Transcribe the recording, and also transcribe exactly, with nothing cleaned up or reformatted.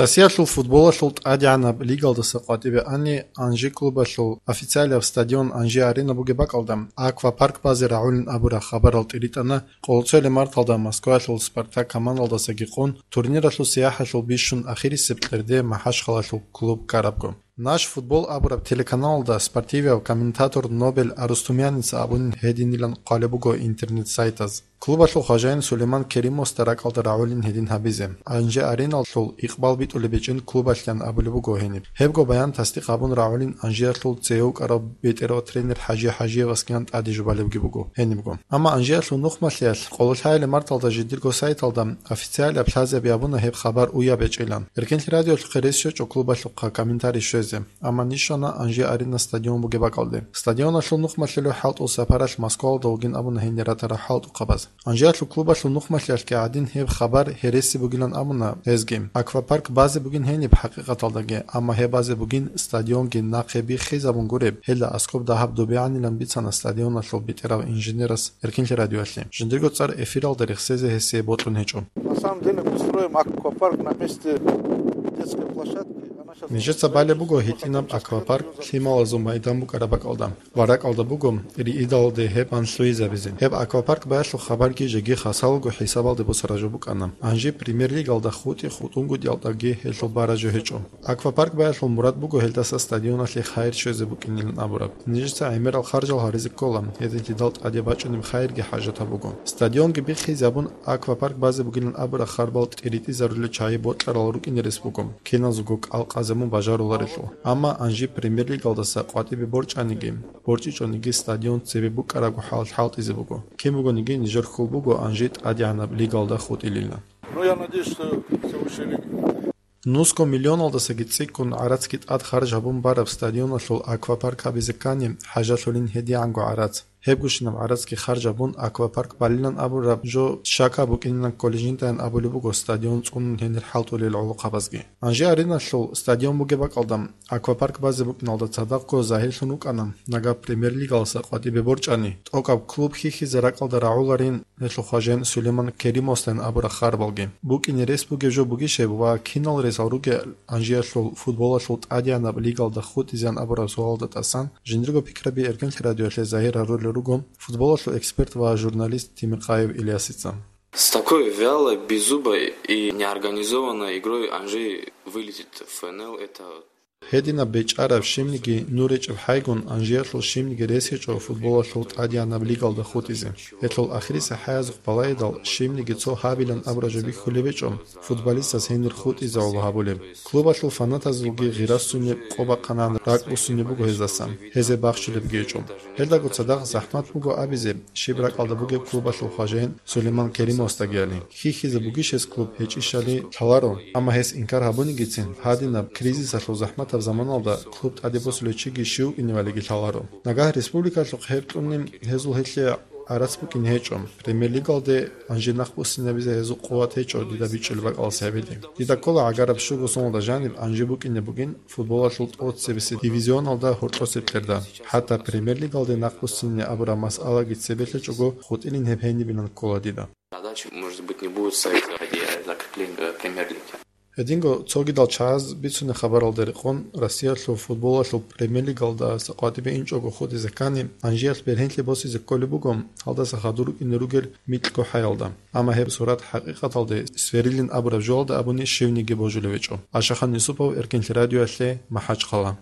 Россиялъул футболалъул тӀадегӀанаб лигалдаса къватӀибе ани, Анжи клубалъул официалияб стадион Анжи Арена бугеб бакӀалда, Аквапарк базе рагӀулин абураб хабарал тӀиритӀана, къолоцоялъ марталда Москваялъул Спартак командалдасаги къун, турниралъул сияхӀалъул бищун ахирисеб кьерде МахӀачхъалалъул клуб ккарабго. Наш футбол абураб телеканалалда спортивияв комментатор Нобель Арустумяница абунин гьединилан хъвалеб буго интернет-сайтаз. Клубалъул хважаин Сулейман Керимовасда ракӀалда рагӀулин гьедин гьабизе. Анжи Ареналъул икъбал битӀулеб гьечӀин клубалъян абулеб буго гьениб. Гьебго баян тасдикъ гьабун рагӀулин Анжиялъул цее вукӀарав бетӀерав тренер ХӀажи ХӀажиевасгиян тӀаде жубалебги буго гьенибго. Амма Анжиялъул нухмалъиялъ къололъаяли марталда жидерго сайталда официалияб лъазаби абуна гьеб хабар уяб гьечӀилан. Эркенлъи радиолъухъе рес щвечӀо клубалъухъа комментарий щвезе. Амма ниж щвана Анжи Арена стадион бугеб бакӀалде. Стадионалъул нухмалъулев хӀалтӀул сапаралъ Москвалда вугин абуна гьенир ратарал хӀалтӀухъабаз. Анжиялъул клубалъул нухмалъиялъги гӀадин гьеб хабар гьереси бугилан абуна гьезги. Аквапарк базе бугин гьениб хӀакъикъаталдаги, амма гьеб базе бугин стадионги нахъе биххизабун гуреб, гьелда аскӀоб дагьаб добегӀанилан бицана стадионалъул бетӀерав инженерас Эркенлъи радиоялъе. Жиндирго цӀар эфиралда рехсезе гьесие бокьун гьечӀо. На самом деле мы строим аквапарк на месте детской площадки. Она щас... Нижеца балеб буго гьитӀинаб аквапарк лъималазул майдан букӀараб бакӀалда ва ракӀалда буго риидалде гьеб ан лъугьизабизе. Гьеб аквапарк баялъул хабарги жеги хасалго хӀисабалде босараб жо букӀана. Анжи премьер-лигалда хутӀи хутӀунгутӀиялдаги гьелъул бараб жо гьечӀо. Аквапарк баялъул мурад буго гьелдаса стадионалъе хайир щвезе букӀинилан абураб. Нижеца гӀемерал харжал гьаризе ккола, гьединлъидал тӀаде бачӀунеб хайирги хӀажатаб буго. Стадионги биххизабун, аквапарк базе бугилан абураб харбал тӀиритӀизарулел чагӀи бокьарал рукӀине рес буго, киназего кӀал къазабун бажаруларелъул. Амма Анжи премьер-лигалдаса къватӀибе борчӀаниги, борчӀичӀониги стадион цебе букӀарабго хӀалалъ хӀалтӀизе буго. Кин бугониги нижер хьул буго Анжи тӀадегӀанаб лигалда хутӀилилан. Ну, я надеюсь, что все высшие лиги. Нусго миллионалдасаги цӀикӀкӀун гӀарацги тӀад харж гьабун бараб стадионалъул аквапарк гьабизе ккани хӀажалъулин гьедигӀанго гӀарац. Гьебгощинаб гӀарацги харж гьабун аквапарк балилан абураб жо щака букӀинилан кколей жиндаян абулеб буго стадион цӀунун гьенир хӀалтӀулел гӀолохъабазги. Анжи Ареналъул стадион бугеб бакӀалда аквапарк базе букӀиналда цадахъго загьирлъун вукӀана, нагагь премьер-лигаласа къватӀибе борчӀани, тӀокӀаб клуб хьихьизе ракӀалда рагӀуларин гьелъул хважаин Сулейман Керимовасдайин абураб харбалги. БукӀине рес бугеб жо бугищ гьеб ва кинал ресал ругел Анжиялъул футболалъул тӀадегӀанаб лигалда хутӀизеян абураб суалалда тӀасан жиндирго пикраби Эркенлъи радиоялъе загьир гьарулел руго футболалъул эксперт ва журналист Тимиркъаев Ильясица. С такой вялой, беззубой и неорганизованной игрой Анжи вылетит в Ф Н Л, это... Гьединаб бечӀараб, щибниги нур гьечӀеб хӀайгун, Анжиялъул щибниги рес гьечӀо футболалъул тӀадегӀанаб лигалда хутӀизе. Гьелъул ахирисеб хӀаязухъ балагьидал, щибниги цо гьабилан абураб жо бихьулеб гьечӀо, футболистас гьенир хутӀизе гӀоло гьабулеб. Клубалъул фанатазулги гъира ссунеб, къо бахъанагӀан ракӀ буссунеб буго гьездасан, гьезие бахчулебги гьечӀо. Гьелдаго цадахъ захӀмат буго абизе, щиб ракӀалда бугеб клубалъул хважаин Сулейман Керимовасдагияли. Хьихьизе бугищ гьес клуб гьечӀищали лъаларо, амма гьес инкар гьабунигицин, гьадинаб кризисалъул захӀматаб заманалда клуб тӀаде босулев чиги щив вукӀиневалиги лъаларо. Нагагь республикалъухъ гьеб кьуни гьезул гьелъие гӀарац букӀине гьечӀо. Премьер-лигалде Анжи нахъ буссинабизе гьезул къуват гьечӀо дида бичӀчӀулеб бакӀалас гьабиде. Дида ккола гӀагараб щуго соналда жаниб Анжи букӀине бугин футболалъул тӀоцебесеб дивизионалда гьоркьосеб кьерда. ХӀатта премьер-лигалде нахъ буссине абураб масъалаги цебе лъечӀого хутӀилин гьеб гьенибилан ккола дида. Задача, может быть, не будет ставиться ради закрепления премьер-лиги. Гьединго цогидал чагӀаз бицунеб хабаралда рекъон, Россиялъул футболалъул премьер-лигалда къватӀибе инчӀого хутӀизе ккани, Анжиялъ бергьенлъи босизе кколеб буго гьалдаса хадур рукӀине ругел микьго хӀаялда. Амма гьеб сурат хӀакъикъаталде сверилин абураб жоялда абуни щивниги божулев гьечӀо. Ашахан Юсупов, Эркенлъи радиоялъе, МахӀачхъала.